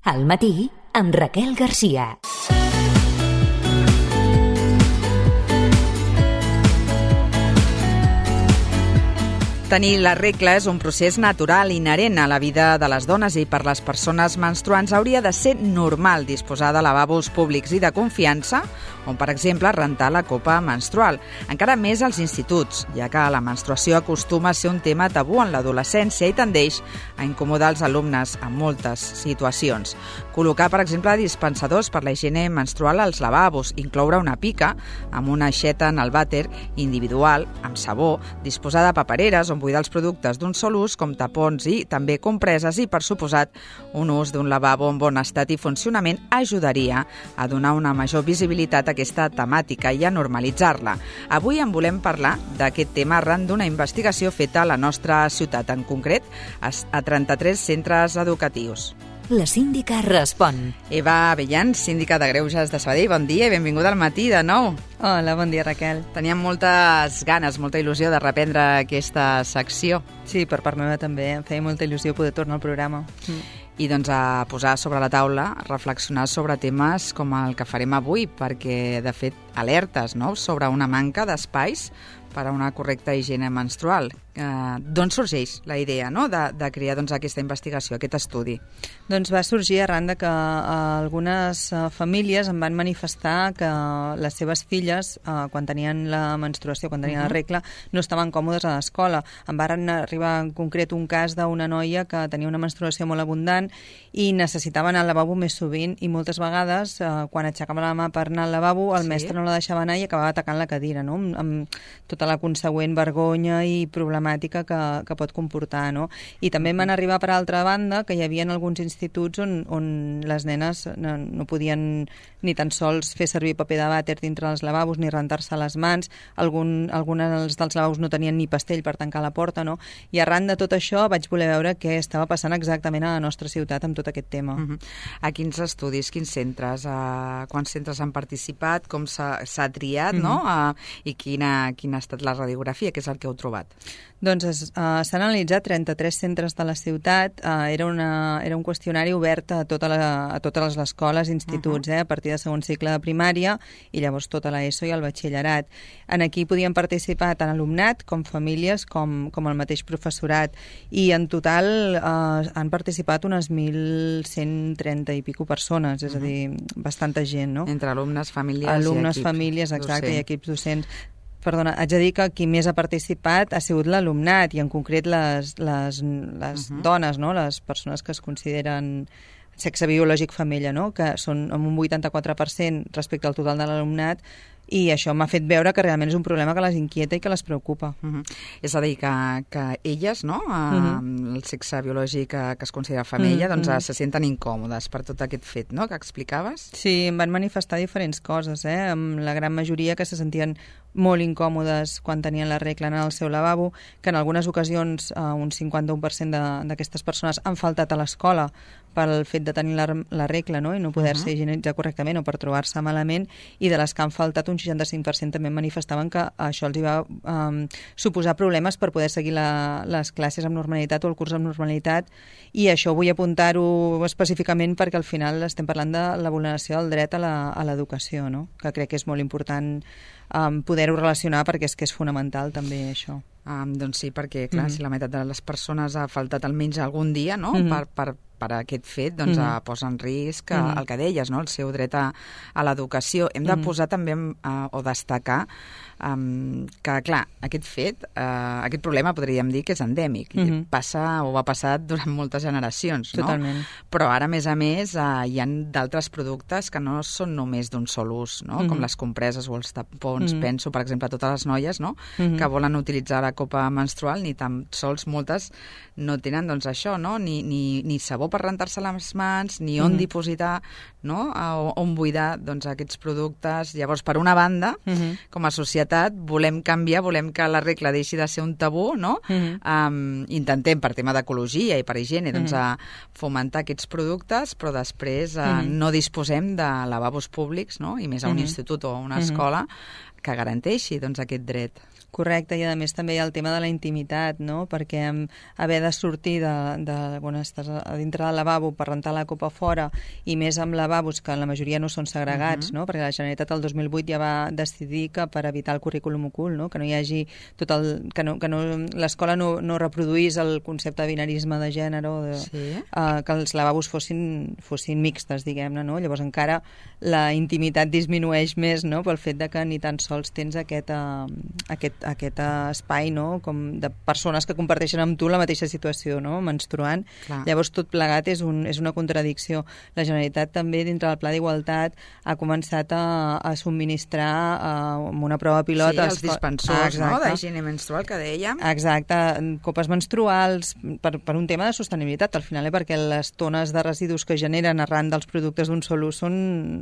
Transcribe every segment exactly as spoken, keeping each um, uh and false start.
Al matí, amb Raquel Garcia. Tenir la regla és un procés natural inherent a la vida de les dones i per les persones menstruants hauria de ser normal disposar de lavabos públics i de confiança, on, per exemple, rentar la copa menstrual. Encara més als instituts, ja que la menstruació acostuma a ser un tema tabú en l'adolescència i tendeix a incomodar els alumnes en moltes situacions. Col·locar, per exemple, dispensadors per la higiene menstrual als lavabos, incloure una pica amb una aixeta en el vàter individual, amb sabó, disposar de papereres on buidar els productes d'un sol ús, com tapons i també compreses, i, per suposat, un ús d'un lavabo en bon estat i funcionament ajudaria a donar una major visibilitat a aquesta temàtica i a normalitzar-la. Avui en volem parlar d'aquest tema arran d'una investigació feta a la nostra ciutat, en concret a trenta-tres centres educatius. La síndica respon. Eva Avellán, síndica de Greuges de Sabadell, bon dia i benvinguda al matí de nou. Hola, bon dia, Raquel. Teníem moltes ganes, molta il·lusió de reprendre aquesta secció. Sí, per part meva també. Em feia molta il·lusió poder tornar al programa. Mm. I doncs a posar sobre la taula, a reflexionar sobre temes com el que farem avui, perquè, de fet, alertes, no?, sobre una manca d'espais per a una correcta higiene menstrual. Eh, D'on sorgeix la idea, no?, de, de crear doncs, aquesta investigació, aquest estudi? Doncs va sorgir arran de que eh, algunes eh, famílies em van manifestar que les seves filles, eh, quan tenien la menstruació, quan tenien uh-huh. la regla, no estaven còmodes a l'escola. Em van arribar en concret un cas d'una noia que tenia una menstruació molt abundant i necessitava anar al lavabo més sovint, i moltes vegades, eh, quan aixecava la mà per anar al lavabo, el sí? mestre no la deixava anar i acabava atacant la cadira, no?, amb, amb tota la consegüent vergonya i problemàtica que, que pot comportar, no? I també van arribar, per altra banda, que hi havia alguns instituts on, on les nenes no, no podien ni tan sols fer servir paper de vàter dintre dels lavabos ni rentar-se les mans. Algun, alguns dels lavabos no tenien ni pastell per tancar la porta, no? I arran de tot això vaig voler veure què estava passant exactament a la nostra ciutat amb tot aquest tema. Uh-huh. A quins estudis, quins centres, a quants centres han participat, com s'ha triat, uh-huh. no? A, i quina, quina ha estat la radiografia, que és el que heu trobat? Doncs uh, s'han analitzat trenta-tres centres de la ciutat. Uh, era, una, era un qüestionari obert a, tota la, a totes les escoles i instituts, uh-huh. eh, a partir de segon cicle de primària i llavors tota l'ESO i el batxillerat. En aquí podien participar tant alumnat com famílies com, com el mateix professorat, i en total uh, han participat unes mil cent trenta i pico persones, és uh-huh. a dir, bastanta gent, no? Entre alumnes, famílies alumnes, i equips famílies, exacte, docents. i equips docents. Perdona, haig de dir que qui més ha participat ha sigut l'alumnat, i en concret les, les, les uh-huh. dones, no?, les persones que es consideren sexe biològic femella, no?, que són amb un vuitanta-quatre per cent respecte al total de l'alumnat, i això m'ha fet veure que realment és un problema que les inquieta i que les preocupa. Uh-huh. És a dir, que, que elles, no?, uh-huh. el sexe biològic que, que es considera femella, uh-huh. doncs uh-huh. se senten incòmodes per tot aquest fet, no?, que explicaves? Sí, em van manifestar diferents coses, eh? Amb la gran majoria que se sentien molt incòmodes quan tenien la regla en el seu lavabo, que en algunes ocasions eh, un cinquanta-un per cent d'aquestes persones han faltat a l'escola pel fet de tenir la, la regla, no?, i no poder-se uh-huh. higienitzar correctament o per trobar-se malament, i de les que han faltat un seixanta-cinc per cent també manifestaven que això els hi va um, suposar problemes per poder seguir la, les classes amb normalitat o el curs amb normalitat, i això vull apuntar-ho específicament perquè al final estem parlant de la vulneració del dret a l'educació, no?, que crec que és molt important um, poder-ho relacionar, perquè és que és fonamental també això. Um, doncs sí, perquè clar, mm-hmm. si la meitat de les persones ha faltat almenys algun dia, no?, mm-hmm. per, per, per aquest fet, doncs mm-hmm. posa en risc mm-hmm. el que deies, no?, el seu dret a, a l'educació. Hem de mm-hmm. posar també uh, o destacar um, que, clar, aquest fet, uh, aquest problema podríem dir que és endèmic. Mm-hmm. Passa o va passar durant moltes generacions, no? Totalment. Però ara, a més a més, uh, hi ha d'altres productes que no són només d'un sol ús, no?, mm-hmm. com les compreses o els tapons. Mm-hmm. Penso, per exemple, a totes les noies, no?, mm-hmm. que volen utilitzar la copa menstrual, ni tan sols moltes no tenen, doncs, això, no?, ni, ni, ni sabó per rentar-se les mans, ni on mm-hmm. dipositar, no?, on buidar, doncs, aquests productes. Llavors, per una banda, mm-hmm. com a societat, volem canviar, volem que la regla deixi de ser un tabú, no? Mm-hmm. Um, intentem, per tema d'ecologia i per higiene, doncs, mm-hmm. a fomentar aquests productes, però després uh, mm-hmm. no disposem de lavabos públics, no?, i més a un mm-hmm. institut o a una mm-hmm. escola, que garanteixi, doncs, aquest dret. Correcte, i a més també hi ha el tema de la intimitat, no? Perquè haver de sortir de, de quan estàs a dintre del lavabo per rentar la copa fora, i més amb lavabos que la majoria no són segregats, uh-huh. no? Perquè la Generalitat el dos mil vuit ja va decidir que per evitar el currículum ocult, no? Que no hi hagi tot el... que, no, que no, l'escola no, no reproduís el concepte de binarisme de gènere, de, sí. uh, que els lavabos fossin, fossin mixtes, diguem-ne, no? Llavors encara la intimitat disminueix més, no? Pel fet de que ni tan sols tens aquest, uh, aquest, aquest uh, espai, no? Com de persones que comparteixen amb tu la mateixa situació, no? Menstruant. Clar. Llavors tot plegat és, un, és una contradicció. La Generalitat també dintre del Pla d'Igualtat ha començat a, a subministrar uh, amb una prova pilot... Sí, els dispensors, ah, no? D'higiene menstrual que dèiem. Exacte, copes menstruals per, per un tema de sostenibilitat, al final, eh? Perquè les tones de residus que generen arran dels productes d'un sol ús són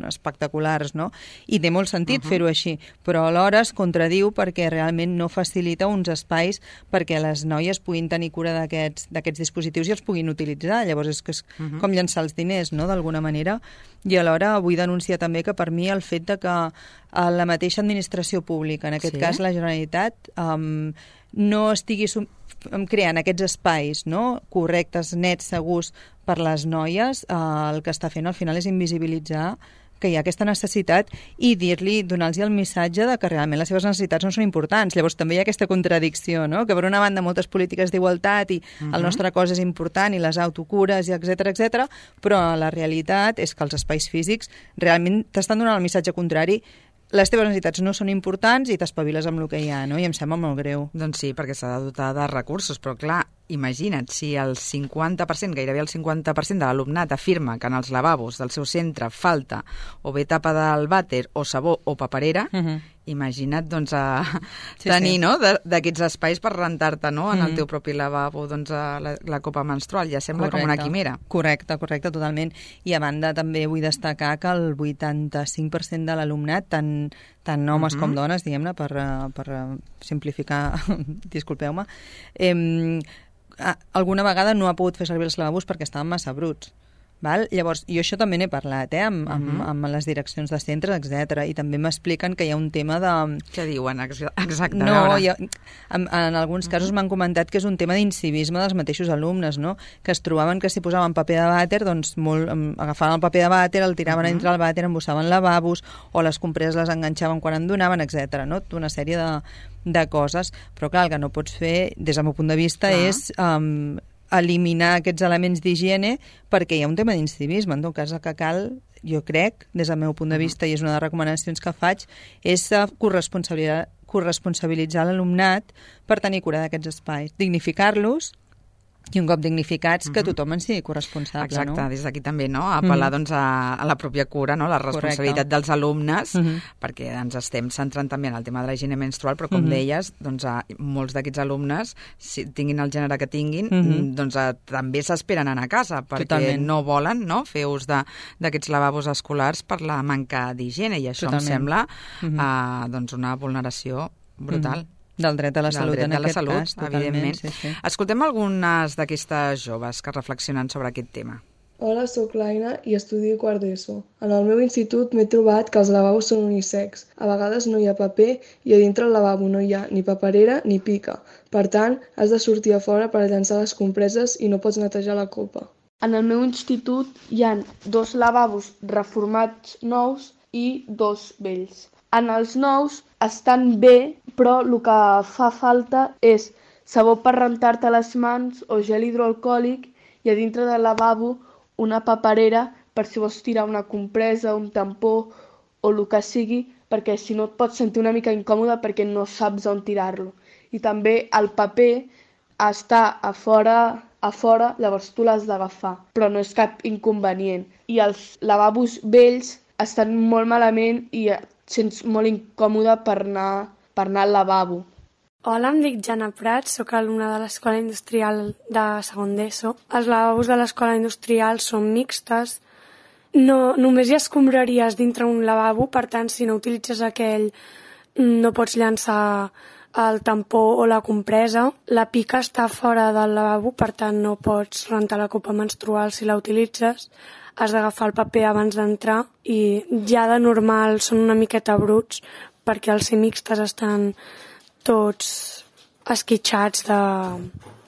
espectaculars, no? I té molt sentit uh-huh. fer-ho així, però alhora es contradiu perquè realment no facilita uns espais perquè les noies puguin tenir cura d'aquests d'aquests dispositius i els puguin utilitzar. Llavors és que és uh-huh. com llançar els diners, no?, d'alguna manera. I alhora vull denunciar també que per mi el fet de que la mateixa administració pública, en aquest sí? cas la Generalitat, um, no estigui creant aquests espais, no?, correctes, nets, segurs per les noies, eh, el que està fent al final és invisibilitzar que hi ha aquesta necessitat i dir-li, donar-los el missatge de que realment les seves necessitats no són importants. Llavors també hi ha aquesta contradicció, no?, que per una banda moltes polítiques d'igualtat i uh-huh. el nostre cos és important i les autocures i etcètera etcètera, però la realitat és que els espais físics realment t'estan donant el missatge contrari. Les teves necessitats no són importants i t'espaviles amb el que hi ha, no? I em sembla molt greu. Doncs sí, perquè s'ha de dotar de recursos, però clar, imagina't, si el cinquanta per cent, gairebé el cinquanta per cent de l'alumnat afirma que en els lavabos del seu centre falta o bé tapa del vàter o sabó o paperera, uh-huh. imagina't doncs, a sí, tenir sí. no, d'aquests espais per rentar-te, no, en mm. el teu propi lavabo doncs, la, la copa menstrual. Ja sembla correcte. Com una quimera. Correcte, correcte, totalment. I a banda també vull destacar que el vuitanta-cinc per cent de l'alumnat, tant, tant homes uh-huh. com dones, diguem-ne, per, per simplificar, disculpeu-me, eh, alguna vegada no ha pogut fer servir els lavabos perquè estaven massa bruts. Val? Llavors, jo això també n'he parlat, eh, amb, amb, uh-huh. amb les direccions de centres, etcètera. I també m'expliquen que hi ha un tema de... Què diuen exacte? No, ha, en, en alguns casos uh-huh. m'han comentat que és un tema d'incivisme dels mateixos alumnes, no? Que es trobaven que si posaven paper de vàter, doncs molt, agafaven el paper de vàter, el tiraven uh-huh. a dintre el vàter, embossaven lavabos, o les compreses les enganxaven quan en donaven, etcètera. No? Una sèrie de, de coses. Però clar, el que no pots fer, des del meu punt de vista, clar. és... Um, eliminar aquests elements d'higiene perquè hi ha un tema d'incivisme. En tot cas, el que cal, jo crec, des del meu punt de vista, i és una de les recomanacions que faig, és corresponsabilitzar, corresponsabilitzar l'alumnat per tenir cura d'aquests espais, dignificar-los i un cop dignificats, que tothom en sigui corresponsable. Exacte, no? des d'aquí també, no? Apel·lar doncs, a, a la pròpia cura, no? La responsabilitat Correcte. dels alumnes, uh-huh. perquè ens estem centrant també en el tema de la higiene menstrual, però com uh-huh. deies, doncs, a, molts d'aquests alumnes, si tinguin el gènere que tinguin, uh-huh. doncs a, també s'esperen anar a casa, perquè Totalment. no volen no? fer ús d'aquests lavabos escolars per la manca d'higiene, i això Totalment. em sembla uh-huh. uh, doncs una vulneració brutal. Uh-huh. Del dret a la salut, en aquest salut, cas, evidentment. Sí, sí. Escoltem algunes d'aquestes joves que reflexionen sobre aquest tema. Hola, sóc l'Aina i estudio quart d'ESO. En el meu institut m'he trobat que els lavabos són unisex. A vegades no hi ha paper i a dintre el lavabo no hi ha ni paperera ni pica. Per tant, has de sortir a fora per llançar les compreses i no pots netejar la copa. En el meu institut hi ha dos lavabos reformats nous i dos vells. En els nous estan bé, però el que fa falta és sabó per rentar-te les mans o gel hidroalcohòlic i a dintre del lavabo una paperera per si vols tirar una compresa, un tampó o el que sigui, perquè si no et pots sentir una mica incòmode perquè no saps on tirar-lo. I també el paper està a fora, a fora, llavors tu l'has d'agafar, però no és cap inconvenient. I els lavabos vells estan molt malament i sents molt incòmode per anar, per anar al lavabo. Hola, em dic Jana Prats, sóc alumna de l'Escola Industrial de segon d'ESO. Els lavabos de l'Escola Industrial són mixtes. No, només hi ha escombraries dintre un lavabo, per tant, si no utilitzes aquell, no pots llançar el tampó o la compresa. La pica està fora del lavabo, per tant, no pots rentar la copa menstrual si la utilitzes. Has d'agafar el paper abans d'entrar i ja de normal són una miqueta bruts perquè els ser mixtes estan tots esquitxats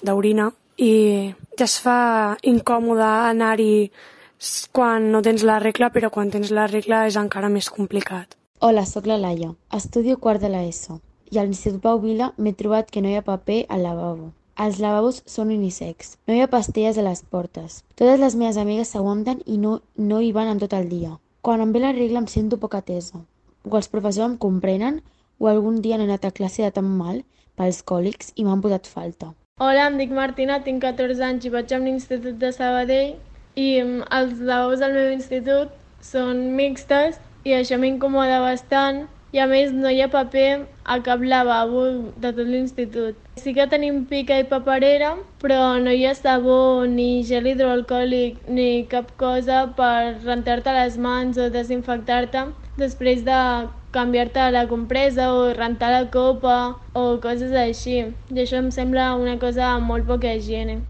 d'orina i ja es fa incòmode anar-hi quan no tens la regla, però quan tens la regla és encara més complicat. Hola, sóc la Laia. Estudio quart de l'ESO i a l'Institut Pau Vila m'he trobat que no hi ha paper al lavabo. Els lavabos són unisex. No hi ha pastilles a les portes. Totes les meves amigues s'aguanten i no, no hi van en tot el dia. Quan em ve la regla em sento poc atesa. O els professors em comprenen o algun dia he anat a classe de tan mal pels còlics i m'han posat falta. Hola, em dic Martina, tinc catorze anys i vaig a un institut de Sabadell i els lavabos del meu institut són mixtes i això m'incomoda bastant i a més no hi ha paper a cap lavabo de tot l'institut. Sí que tenim pica i paperera, però no hi ha sabó ni gel hidroalcohòlic ni cap cosa per rentar-te les mans o desinfectar-te després de canviar-te la compresa o rentar la copa o coses així. I això em sembla una cosa molt poca higiene.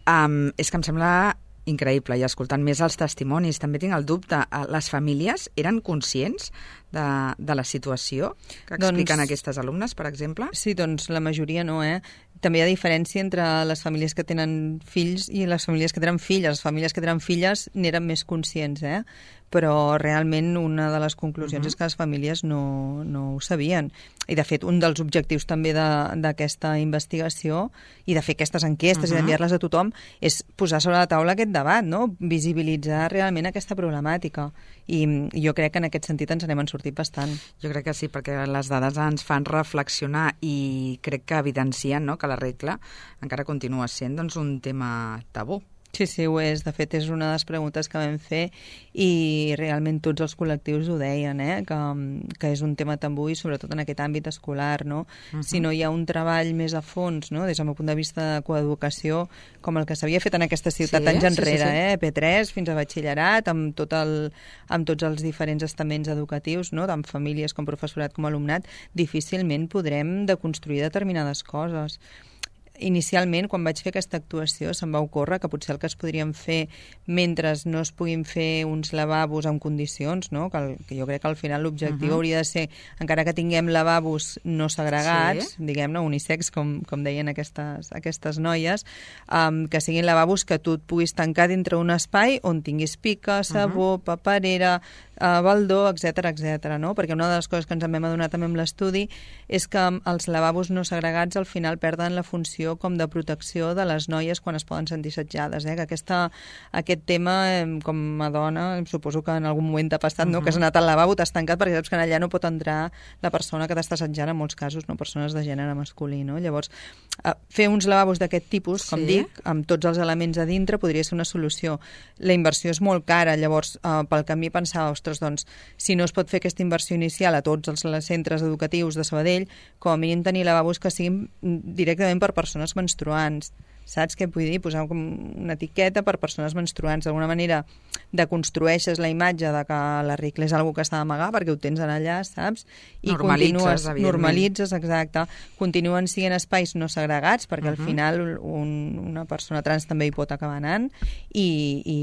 Um, és que em sembla increïble, i escoltant més els testimonis, també tinc el dubte, les famílies eren conscients de, de la situació que expliquen doncs, aquestes alumnes, per exemple? Sí, doncs la majoria no, eh? També hi ha diferència entre les famílies que tenen fills i les famílies que tenen filles. Les famílies que tenen filles n'eren més conscients, eh? Però realment una de les conclusions uh-huh. és que les famílies no, no ho sabien. I de fet, un dels objectius també d'aquesta investigació i de fer aquestes enquestes uh-huh. i d'enviar-les a tothom és posar sobre la taula aquest debat, no? Visibilitzar realment aquesta problemàtica. I jo crec que en aquest sentit ens n'hem sortit bastant. Jo crec que sí, perquè les dades ens fan reflexionar i crec que evidencien, no?, que la regla encara continua sent doncs, un tema tabú. Sí, sí, ho és. De fet, és una de les preguntes que vam fer i realment tots els col·lectius ho deien, eh? que, que és un tema tabú i sobretot en aquest àmbit escolar. No? Uh-huh. Si no hi ha un treball més a fons, no? Des del meu punt de vista de coeducació, com el que s'havia fet en aquesta ciutat sí, anys enrere, sí, sí, sí. Eh? P tres fins a batxillerat, amb, tot el, amb tots els diferents estaments educatius, no? Tant famílies com professorat com alumnat, difícilment podrem deconstruir determinades coses. Inicialment, quan vaig fer aquesta actuació, se'm va ocórrer que potser el que es podrien fer mentre no es puguin fer uns lavabos en condicions, no? que, el, que jo crec que al final l'objectiu uh-huh. hauria de ser, encara que tinguem lavabos no segregats, sí. diguem-ne, unisex, com, com deien aquestes, aquestes noies, um, que siguin lavabos que tu et puguis tancar dintre un espai on tinguis pica, sabó, uh-huh. paperera, uh, baldó, etcètera, etcètera, no? Perquè una de les coses que ens en vam adonar també amb l'estudi és que els lavabos no segregats al final perden la funció com de protecció de les noies quan es poden sentir assetjades, eh? Que aquesta, aquest tema, com a dona, suposo que en algun moment t'ha passat, uh-huh. no? Que has anat al lavabo, t'has tancat perquè saps que allà no pot entrar la persona que t'està assetjant, en molts casos, no? Persones de gènere masculí, no? Llavors, fer uns lavabos d'aquest tipus, com sí. dic, amb tots els elements a dintre, podria ser una solució. La inversió és molt cara, llavors, eh, pel camí pensava, ostres, doncs, si no es pot fer aquesta inversió inicial a tots els centres educatius de Sabadell, com a mínim tenir lavabos que siguin directament per persones menstruants. Saps què vull dir? Posar com una etiqueta per persones menstruants. D'alguna manera deconstrueixes la imatge de que la regla és una cosa que està d'amagar perquè ho tens allà, saps? I normalitzes, continues, normalitzes, exacte. Continuen sent espais no segregats perquè uh-huh. al final un, una persona trans també hi pot acabar anant i, i,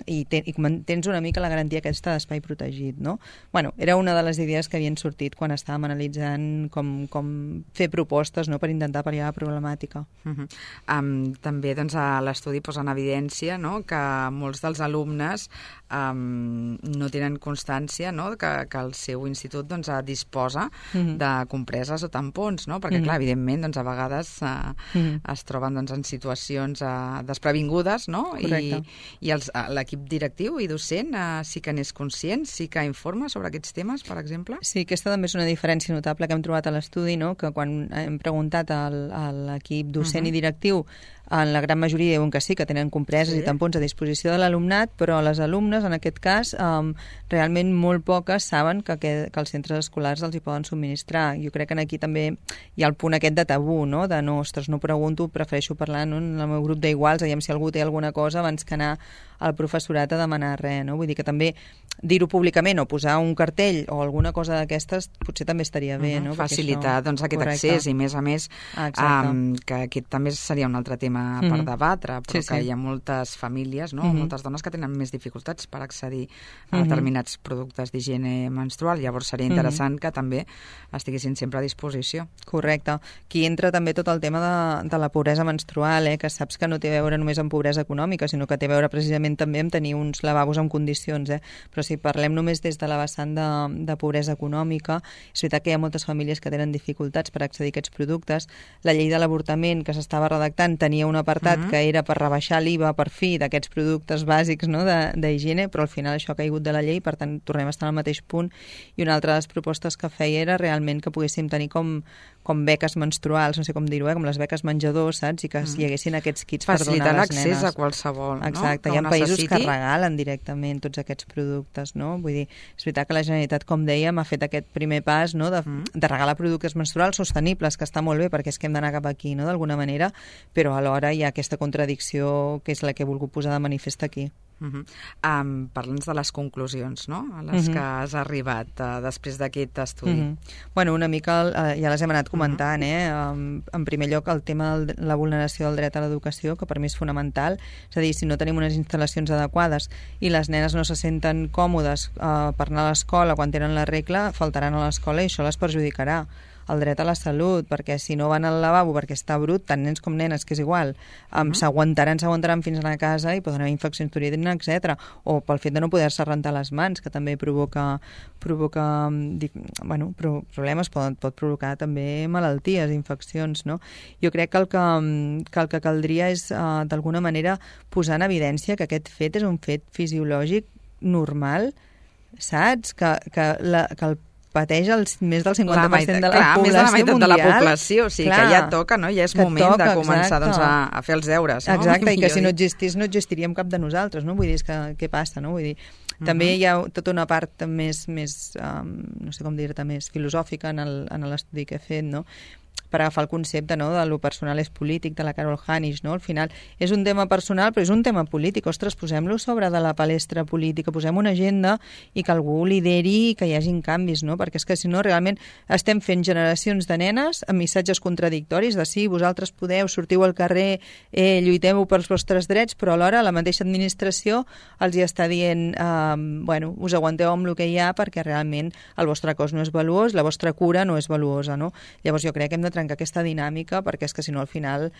i, ten, i tens una mica la garantia aquesta d'espai protegit, no? Bueno, era una de les idees que havien sortit quan estàvem analitzant com, com fer propostes, no?, per intentar pal·liar la problemàtica. Uh-huh. Um, també doncs, a l'estudi posa en evidència, no?, que molts dels alumnes um, no tenen constància, no?, que, que el seu institut doncs, disposa mm-hmm. de compreses o tampons, no? Perquè, mm-hmm. clar, evidentment, doncs, a vegades uh, mm-hmm. es troben doncs, en situacions uh, desprevingudes, no? Correcte. I, i els, uh, l'equip directiu i docent uh, sí que n'és conscient, sí que informa sobre aquests temes, per exemple? Sí, aquesta també és una diferència notable que hem trobat a l'estudi, no?, que quan hem preguntat al, a l'equip docent uh-huh. i directiu, en la gran majoria diuen que sí, que tenen compreses sí. i tampons a disposició de l'alumnat, però les alumnes, en aquest cas, um, realment molt poques saben que, que, que els centres escolars els hi poden subministrar. Jo crec que aquí també hi ha el punt aquest de tabú, no?, de no, ostres, no pregunto, prefereixo parlar no? en el meu grup d'iguals, aviam si algú té alguna cosa abans que anar al professorat a demanar res, no? Vull dir que també dir-ho públicament o posar un cartell o alguna cosa d'aquestes potser també estaria bé, no? Uh-huh. Facilitar això... doncs, aquest Correcte. accés i, més a més, um, que aquest també seria un altre tema tema Mhm. per debatre, però Sí, que sí. hi ha moltes famílies, no? Mhm. moltes dones que tenen més dificultats per accedir a Mhm. determinats productes d'higiene menstrual. Llavors seria interessant que també estiguessin sempre a disposició. Correcte. Aquí entra també tot el tema de, de la pobresa menstrual, eh? Que saps que no té a veure només amb pobresa econòmica, sinó que té a veure precisament també amb tenir uns lavabos en condicions. Eh? Però si parlem només des de la vessant de, de pobresa econòmica, és veritat que hi ha moltes famílies que tenen dificultats per accedir a aquests productes. La llei de l'avortament que s'estava redactant tenia un apartat uh-huh. que era per rebaixar l'I V A per fi d'aquests productes bàsics, no? d'higiene, però al final això ha caigut de la llei, per tant tornem a estar al mateix punt. I una altra de les propostes que feia era realment que poguéssim tenir com, com beques menstruals, no sé com dir-ho, eh? Com les beques menjador, saps? I que uh-huh. hi haguessin aquests kits Facilitar per donar a les nenes. Facilitar l'accés a qualsevol, no? Exacte, hi ha països necessiti... que regalen directament tots aquests productes, no? Vull dir, és veritat que la Generalitat, com dèiem, ha fet aquest primer pas, no? de, mm. de regalar productes menstruals sostenibles, que està molt bé perquè és que hem d'anar cap aquí, no? D'alguna manera, però alhora hi ha aquesta contradicció que és la que he volgut posar de manifest aquí. Uh -huh. um, Parla'ns de les conclusions, no? A les uh -huh. que has arribat uh, després d'aquest estudi. Uh -huh. Bueno, una mica uh, ja les hem anat comentant, uh -huh. eh? Um, en primer lloc, el tema de la vulneració del dret a l'educació, que per mi és fonamental. És a dir, si no tenim unes instal·lacions adequades i les nenes no se senten còmodes uh, per anar a l'escola quan tenen la regla, faltaran a l'escola i això les perjudicarà. El dret a la salut, perquè si no van al lavabo perquè està brut, tant nens com nenes, que és igual, um, uh-huh. s'aguantaran, s'aguantaran fins a casa i poden haver infeccions d'orina, etcètera. O pel fet de no poder-se rentar les mans, que també provoca, provoca dic, bueno, problemes, pot, pot provocar també malalties, infeccions, no? Jo crec que el que, que, el que caldria és, uh, d'alguna manera, posar en evidència que aquest fet és un fet fisiològic normal, saps? Que, que, la, que el pateix el, més del cinquanta per cent de la clar, població més de la meitat mundial. de la població, o sigui clar, que ja toca, no? Ja és moment toca, de començar doncs, a, a fer els deures. No? Exacte, i que si no existís no existiríem cap de nosaltres, no? Vull dir, és que què passa, no? Vull dir, uh-huh. també hi ha tota una part més, més um, no sé com dir-te, més filosòfica en l'estudi que he fet, no? Per agafar el concepte, no?, de lo personal és polític, de la Carol Hanisch, no? Al final és un tema personal, però és un tema polític. Ostres, posem-lo sobre de la palestra política, posem una agenda i que algú lideri i que hi hagin canvis, no? Perquè és que si no, realment estem fent generacions de nenes amb missatges contradictoris de sí, vosaltres podeu, sortiu al carrer, eh, lluiteu pels vostres drets, però alhora la mateixa administració els hi està dient eh, bueno, us aguanteu amb el que hi ha perquè realment el vostre cos no és valuós, la vostra cura no és valuosa, no? Llavors jo crec que hem de trencar aquesta dinàmica perquè és que si no al final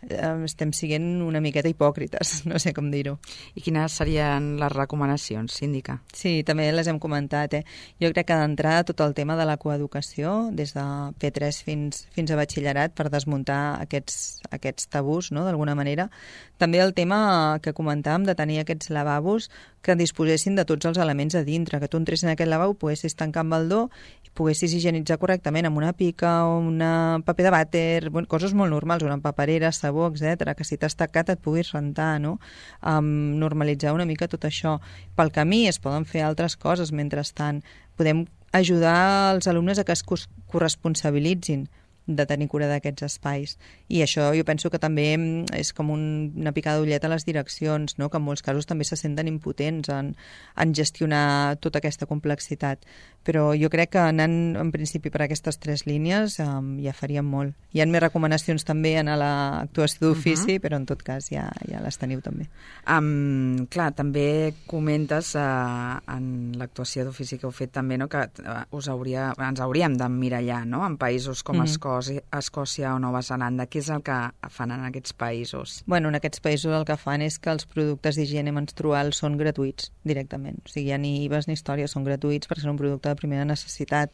eh, estem sent una miqueta hipòcrites, no sé com dir-ho. I quines serien les recomanacions, síndica? Sí, també les hem comentat. Eh? Jo crec que d'entrada tot el tema de la coeducació, des de P tres fins, fins a batxillerat, per desmuntar aquests, aquests tabús, no?, d'alguna manera. També el tema que comentàvem de tenir aquests lavabos que disposessin de tots els elements a dintre, que tu entressis en aquest lavabo, poguessis tancar amb el do i poguessis higienitzar correctament amb una pica o una paper de vàter, bueno, coses molt normals, una paperera, sabó, etcètera, que si t'has tacat et puguis rentar, no? Um, normalitzar una mica tot això. Pel camí es poden fer altres coses mentrestant. Podem ajudar els alumnes a que es corresponsabilitzin de tenir cura d'aquests espais. I això jo penso que també és com un, una picada d'ullet a les direccions, no? Que en molts casos també se senten impotents en, en gestionar tota aquesta complexitat. Però jo crec que anant en principi per aquestes tres línies um, ja faríem molt. Hi ha més recomanacions també en l'actuació d'ofici, uh-huh. però en tot cas ja, ja les teniu també. Um, clar, també comentes uh, en l'actuació d'ofici que heu fet també, no? Que uh, us hauria, ens hauríem d'emmirallar, no?, en països com uh-huh. Escòcia, Escòcia o Nova Zelanda. Què és el que fan en aquests països? Bueno, en aquests països el que fan és que els productes d'higiene menstrual són gratuïts directament. O sigui, ja ni I V As ni històries, són gratuïts perquè són un producte de primera necessitat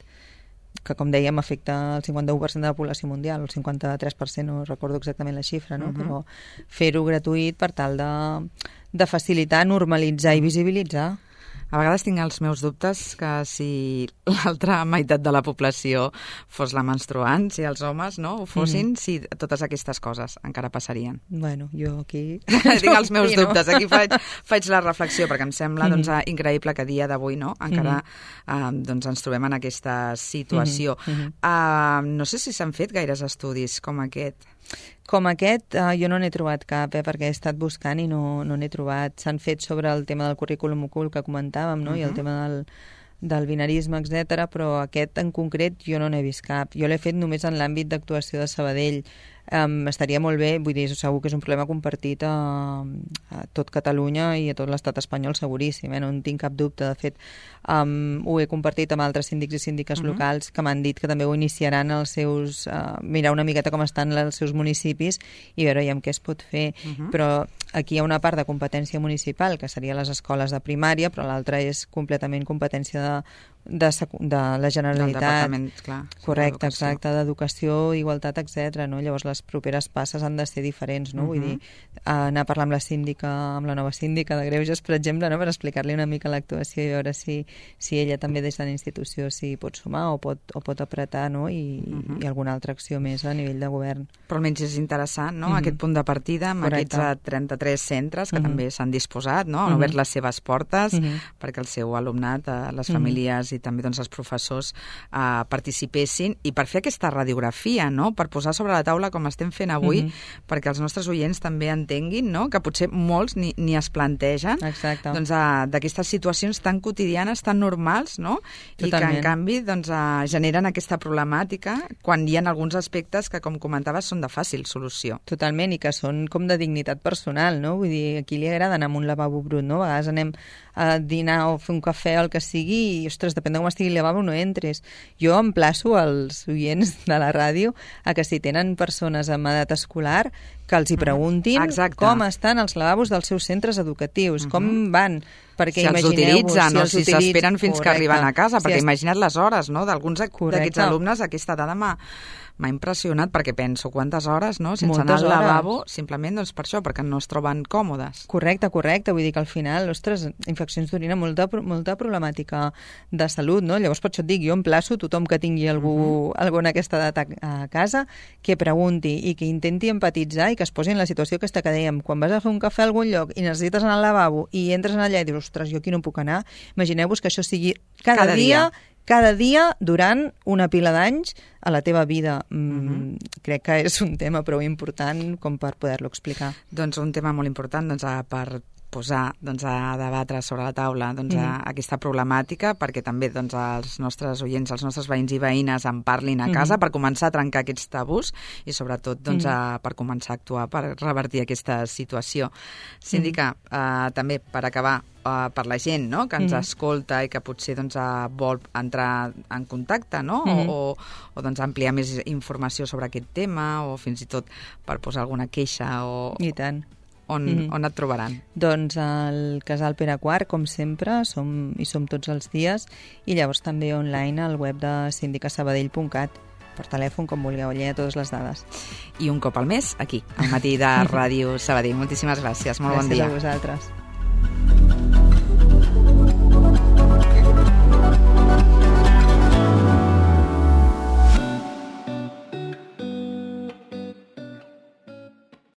que, com dèiem, afecta el cinquanta-u per cent de la població mundial, el cinquanta-tres per cent, no recordo exactament la xifra, no? Uh-huh. Però fer-ho gratuït per tal de, de facilitar, normalitzar i visibilitzar. A vegades tinc els meus dubtes que si l'altra meitat de la població fos la menstruant, si els homes no ho fossin, mm. si totes aquestes coses encara passarien. Bueno, jo aquí... tinc els meus dubtes, aquí faig, faig la reflexió, perquè em sembla doncs, increïble que a dia d'avui no, encara mm-hmm. eh, doncs, ens trobem en aquesta situació. Mm-hmm. Uh, no sé si s'han fet gaires estudis com aquest. Com aquest, eh, jo no n'he trobat cap, eh, perquè he estat buscant i no, no n'he trobat. S'han fet sobre el tema del currículum ocult que comentàvem, no? Uh-huh. I el tema del, del binarisme, etcètera, però aquest en concret jo no n'he vist cap. Jo l'he fet només en l'àmbit d'actuació de Sabadell. um, estaria molt bé, vull dir, segur que és un problema compartit a, a tot Catalunya i a tot l'estat espanyol seguríssim, eh? No en tinc cap dubte. De fet, um, ho he compartit amb altres síndics i síndiques uh-huh. locals que m'han dit que també ho iniciaran els seus, uh, mirar una miqueta com estan els seus municipis i veure ja amb què es pot fer. Uh-huh. Però aquí hi ha una part de competència municipal, que seria les escoles de primària, però l'altra és completament competència de, de, de la Generalitat. Del departament, clar. Correcte, exacte, d'educació, igualtat, etcètera. No? Llavors les properes passes han de ser diferents, no? Uh-huh. Vull dir, anar a parlar amb la síndica, amb la nova síndica de Greuges, per exemple, no? Per explicar-li una mica l'actuació i veure si, si ella també des de la institució si pot sumar o pot, o pot apretar, no? I, uh-huh. i alguna altra acció més a nivell de govern. Però almenys és interessant, no? Uh-huh. Aquest punt de partida amb Correcte. Aquests trenta-tres centres que uh-huh. també s'han disposat, no? Han uh-huh. obert les seves portes uh-huh. perquè el seu alumnat, les famílies uh-huh. i també doncs, els professors eh, participessin i per fer aquesta radiografia, no? Per posar sobre la taula com estem fent avui, uh-huh. perquè els nostres oients també entenguin, no? Que potser molts ni, ni es plantegen doncs, eh, d'aquestes situacions tan quotidianes, tan normals, no? Totalment. I que en canvi doncs, eh, generen aquesta problemàtica quan hi ha alguns aspectes que, com comentaves, són de fàcil solució. Totalment, i que són com de dignitat personal, no? Vull dir, aquí li agrada anar amb un lavabo brut, no? A vegades anem a dinar o fer un cafè o el que sigui i, ostres, depèn de com estigui el lavabo, no entres. Jo emplaço als oients de la ràdio a que si tenen persones amb edat escolar que els hi preguntin Exacte. Com estan els lavabos dels seus centres educatius, uh-huh. com van, perquè si els utilitzen o si s'esperen fins Correcte. Que arriben a casa, perquè si imagina't les hores, no?, d'alguns d'aquests alumnes. Aquesta dada m'ha m'ha impressionat perquè penso quantes hores, no?, sense Moltes anar al lavabo, hores. simplement doncs per això, perquè no es troben còmodes. Correcte, correcte, vull dir que al final, ostres, infeccions d'orina, molta, molta problemàtica de salut, no? Llavors per això et dic, jo emplaço tothom que tingui algú, uh-huh. algú en aquesta edat a, a casa, que pregunti i que intenti empatitzar i que es posi en la situació aquesta que dèiem, quan vas a fer un cafè a algun lloc i necessites anar al lavabo i entres allà i dius, ostres, jo aquí no puc anar, imagineu-vos que això sigui cada, cada dia, dia cada dia durant una pila d'anys a la teva vida. Mm, uh-huh. Crec que és un tema prou important com per poder-lo explicar. Doncs un tema molt important doncs, per posar doncs, a debatre sobre la taula doncs, a, a aquesta problemàtica perquè també doncs, els nostres oients, els nostres veïns i veïnes en parlin a casa mm-hmm. per començar a trencar aquests tabús i sobretot doncs, mm-hmm. a, per començar a actuar per revertir aquesta situació. Síndica, mm-hmm. eh, també per acabar, eh, per la gent no? que ens mm-hmm. escolta i que potser doncs, eh, vol entrar en contacte no? mm-hmm. o, o, o doncs, ampliar més informació sobre aquest tema o fins i tot per posar alguna queixa o... I tant. On, mm-hmm. on et trobaran? Doncs al Casal Pere quart, com sempre, som, hi som tots els dies i llavors també online al web de sindicasabadell punt cat, per telèfon, com vulgueu, allà totes les dades. I un cop al mes, aquí, al matí de Ràdio Sabadell. Moltíssimes gràcies, molt gràcies bon dia. Gràcies a vosaltres.